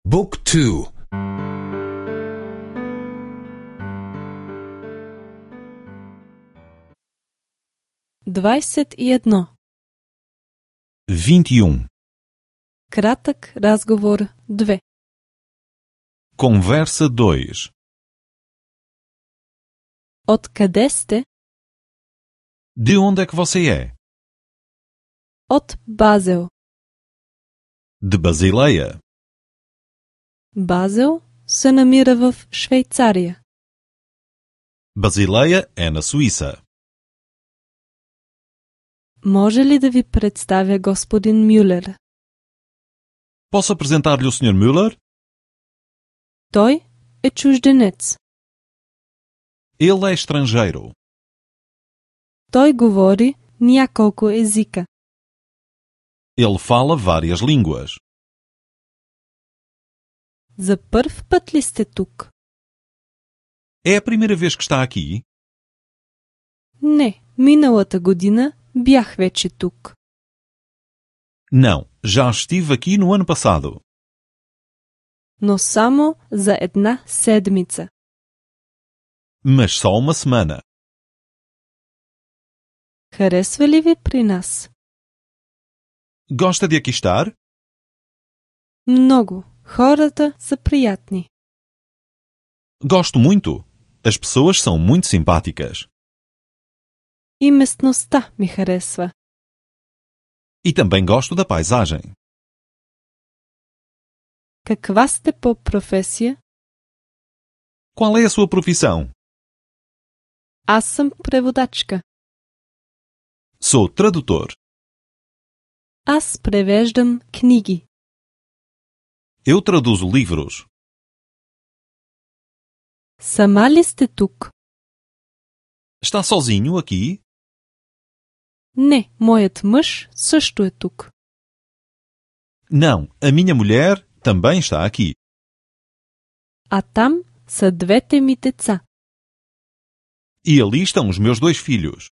Book 2. 21. 21. Кратък разговор 2. Conversa 2. Откъде сте? De onde é que você é? От Базел. De Basileia. Базел се намира в Швейцария. Basileia é na Suíça. Може ли да ви представя господин Мюлер? Posso apresentar-lhe o Sr. Müller? Той е чужденец. Ele é estrangeiro. Той говори няколко езика. Ele fala várias línguas. За първ път ли сте тук? É a primeira vez que está aqui? Не, миналата година бях вече тук. Não, já estive aqui no ano passado. Но само за една седмица. Mas só uma semana. Харесва ли ви при нас? Gosta de aqui estar? Много. Хората са приятни. Gosto muito. As pessoas são muito simpáticas. И местността ми харесва. E também gosto da paisagem. Каква сте по професия? Qual é a sua profissão? Аз съм преводачка. Sou tradutor. Аз превеждам книги. Eu traduzo livros. Сама ли сте тук? Está sozinho aqui? Не, моят мъж също е тук. Não, a minha mulher também está aqui. А там са двете ми деца. E ali estão os meus 2 filhos.